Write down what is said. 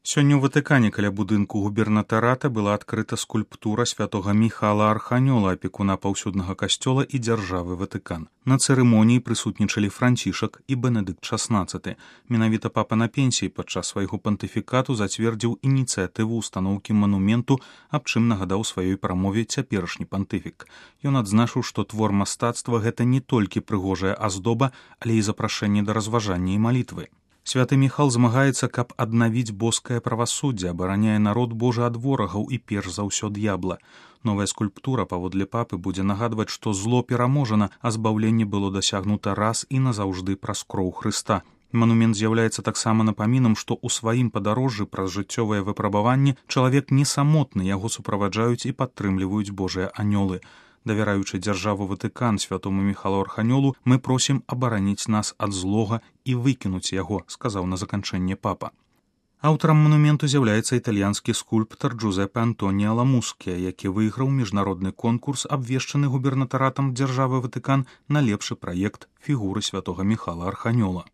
Сёння ў Ватыкане каля будынку губернатарата была адкрыта скульптура святога Міхала Арханёла, апекуна паўсюднага касцёла і дзяржавы Ватыкан. На цырымоніі прысутнічалі Францішак і Бенедыкт XVI. Менавіта папа на пенсіі падчас свайго пантыфікату зацвердзіў ініцыятыву ўстаноўкі манументу, аб чым нагадаў сваёй прамове цяперашні пантыфік. Ён адзначыў, што твор мастацтва гэта не толькі прыгожая аздоба, але і запрашэнне да разважання і малітвы. Святы Міхал змагаецца, каб аднавіць боскае правасуддзе, абараняе народ Божы ад ворагаў і перш за ўсё д'ябла. Новая скульптура, паводле папы, будзе нагадваць, што зло пераможана, а збаўленне было дасягнута раз і назаўжды праз кроў Хрыста. Манумент з'яўляецца таксама напамінам, што ў сваім падарожжы праз жыццёвыя выпрабаванні чалавек не самотны, яго суправаджаюць і падтрымліваюць Божыя анёлы. Давяраючы дзяржаву Ватыкан святому Міхалу Арханёлу, мы просім абараніць нас ад злога і выкінуць яго, сказаў на заканчэнне папа. Аўтарам манументу з'яўляецца італьянскі скульптар Джузеппе Антоніа Ламускія, які выйграў міжнародны конкурс, абвешчаны губернатаратам дзяржавы Ватыкан на лепшы праект фігуры святога Міхала Арханёла.